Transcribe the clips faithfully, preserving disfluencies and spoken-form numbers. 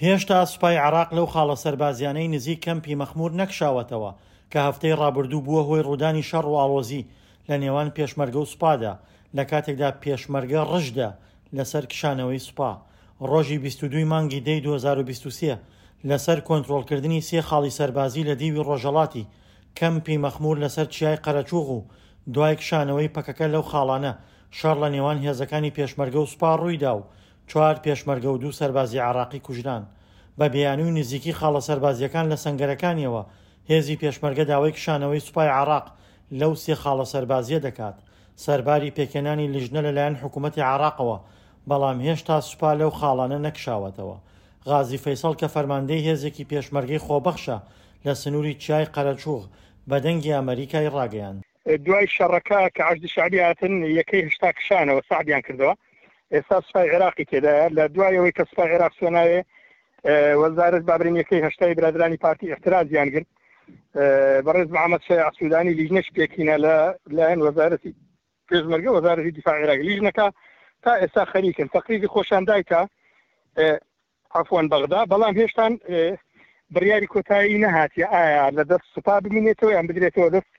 هێشتا سوپای عێراق لەو خاڵە سەربازیانەی نزیک کەمپی مەخمور نەکشاوەتەوە کە هەفتەی ڕابردوو بووە هۆی ڕوودانی شەڕ و ئاڵۆزی لە نێوان پێشمەرگە و سوپادا، لە کاتێکدا پێشمەرگە ڕژدە لەسەر کشانەوەی سوپا. ڕۆژی بیست و دوو ی مانگی دەی دوو هەزار و بیست و سێ لەسەر کۆنترۆڵکردنی سێ خاڵی سەربازی لە دیوی ڕۆژهەڵاتی کەمپی مەخمور لەسەر چیای قەرەچوغ و دوای کشانەوەی پەکەکە لەو خاڵانە شەڕ لە نێوان هێزەکانی پێشمەرگە و سوپا ڕوویدا و چوار پێشمەرگە و دوو سەربازی عێراقی کوژران. بە بیانووی نزیکی خاڵە سەربازییەکان لە سەنگەرەکانیەوە هێزی پێشمەرگە داوای کشانەوەی سوپای عێراق لەو سێ خاڵە سەربازییە دەکات سەرباری پێکهێنانی لیژنە لەلایەن حکوومەتی عێراقەوە، بەڵام هێشتا سوپا لەو خاڵانە نەکشاوەتەوە. غازی فەیسەڵ کە فەرماندەی هێزێکی پێشمەرگەی خۆبەخشە لە سنووری چیای قەرەچوغ بە دەنگی ئەمەریکای ڕاگەیاند. دوای شەڕەکە کە حەشدی شەعبی هاتن یەکەی هەشتا کشانەوە سەعبیان کردەوە، ئێستا سوپای عێراقی تێدایە. لە دوای ئەوەی کە سوپای عێراق چووە ناوێ وەزارەت بابرین یەکەی هەشتای برادرانی پارتی ئیعترازیان گرت. بەڕێز محەممەد شەیاع سوودانی لیژنەش پێکهێنا لە لایەن وەزارەتی پێشمەرگە وەزارەتی دیفاع عێراق. لیژنەکە تا ئێستا خەریکن تەقریری خۆشان دایکە عەفوەن بەغدا، بەڵام هێشتان بڕیاری کۆتایی نەهاتیە ئایا لە دەست سوپا بمینێتەوە یان بدرێتەوە دەست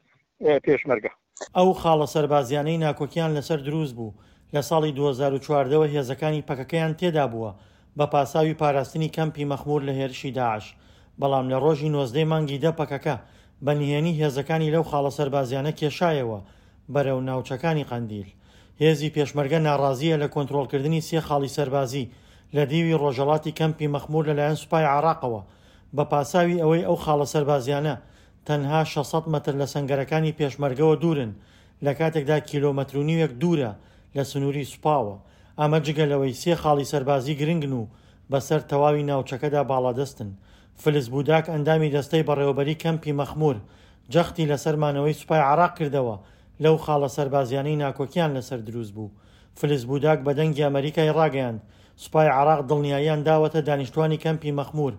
پێشمەرگە. ئەو خاڵە سەربازیانەی ناکۆکیان لەسەر دروست بوو لە ساڵی دوو هەزار و چواردە وە هێزەکانی پەکەکەیان تێدا بووە بە پاساوی پاراستنی کەمپی مەخمور لە هێرشی داعش، بەڵام لە ڕۆژی نۆزدە ی مانگی دە پەکەکە بە نهێنی هێزەکانی لەو خاڵە سەربازیانە کێشایەوە بەرەو ناوچەکانی قەندیل. هێزی پێشمەرگە ناڕازییە لە کۆنترۆڵکردنی سێ خاڵی سەربازی لە دیوی ڕۆژهەڵاتی کەمپی مەخمور لەلایەن سوپای عێراقەوە بە پاساوی ئەوەی ئەو خاڵە سەربازیانە تەنها شەش سەد مەتر لە سەنگەرەکانی پێشمەرگەوە دوورن لە کاتێکدا کیلۆمەتر و نیوێک دوورە لە سنووری سوپاوە. ئەمە جگە لەوەی سێ خاڵی سەربازی گرنگن و بەسەر تەواوی ناوچەکەدا باڵادەستن. فلس بوداک ئەندامی دەستەی بەڕێوەبەری کەمپی مەخمور جەختی لەسەر مانەوەی سوپای عێراق کردەوە لەو خاڵە سەربازیانەی ناکۆکیان لەسەر دروست بوو. فلس بوداک بە دەنگی ئەمەریکای ڕاگەیاند سوپای عێراق دڵنیاییان داوەتە دانیشتوانی کەمپی مەخمور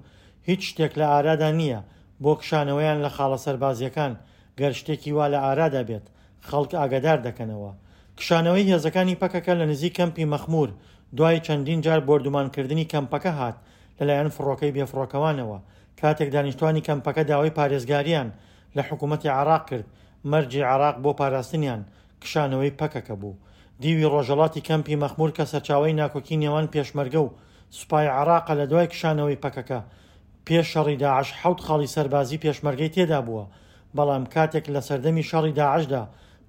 هیچ شتێک لە ئارادا نییە بۆ کشانەوەیان لە خاڵە سەربازیەکان، گەر شتێکی وا لە ئارادا بێت خەڵک ئاگادار دەکەنەوە. کشانەوەی هێزەکانی پەکەکە لە نزیک کەمپی مەخمور دوای چەندین جار بۆردومانکردنی کەمپەکە هات لەلایەن فڕۆکەی بێفڕۆکەوانەوە، کاتێک دانیشتوانی کەمپەکە داوای پارێزگاریان لە حکوومەتی عێراق کرد، مەرجی عێراق بۆ پاراستنیان کشانەوەی پەکەکە بوو. دیوی ڕۆژهەڵاتی کەمپی مەخمور کە سەرچاوەی ناکۆکی نێوان پێشمەرگە و سوپای عێراقە لە دوای کشانەوەی پەکەکە پێش شەڕی داعش حەوت خاڵی سەربازی پێشمەرگەی تێدا بووە، بەڵام کاتێک لە سەردەمی شەڕی داعشدا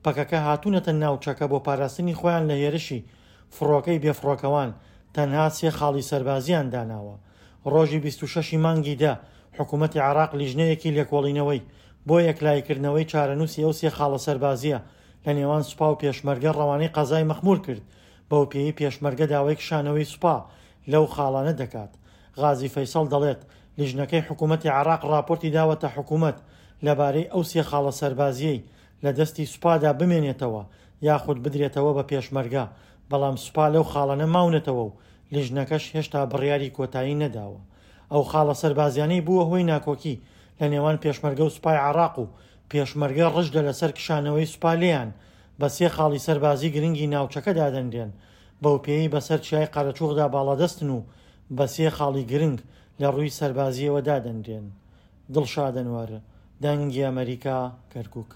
پەکەکە هاتوونەتە ناوچەکە بۆ پاراستنی خۆیان لە هێرشی فڕۆکەی بێفڕۆکەوان تەنها سێ خاڵی سەربازیان داناوە. ڕۆژی بیست و شەش ی مانگی دە حکوومەتی عێراق لیژنەیەکی لێکۆڵینەوەی بۆ یەکلاییکردنەوەی چارەنووسی ئەو سێ خاڵە سەربازییە لە نێوان سوپا و پێشمەرگە ڕەوانەی قەزای مەخمور کرد، بەوپێیەی پێشمەرگە داوای کشانەوەی سوپا لەو خاڵانە دەکات. غازی فەیسەڵ دەڵێت، لیژنەکەی حکوومەتی عێراق ڕاپۆرتی داوەتە حکوومەت لەبارەی ئەو سێ خاڵە سەربازییەی لە دەستی سوپادا بمێنێتەوە یاخود بدرێتەوە بە پێشمەرگە، بەڵام سوپا لەو خاڵانە ماونەتەوە و لیژنەکەش هێشتا بڕیاری کۆتایی نەداوە. ئەو خاڵە سەربازیانەی بووە هۆی ناکۆکی لە نێوان پێشمەرگە و سوپای عێراق و پێشمەرگە ڕژدە لەسەر کشانەوەی سوپا لێیان بە سێ خاڵی سەربازی گرنگی ناوچەکە دادەنرێن، بەوپێیەی بەسەر چیای قەرەچوغدا باڵادەستن و بە سێ خاڵی گرنگ لە ڕووی سەربازییەوە دادەنرێن. دڵشاد ئەنوەر، دەنگی ئەمەریکا، کەرکوک.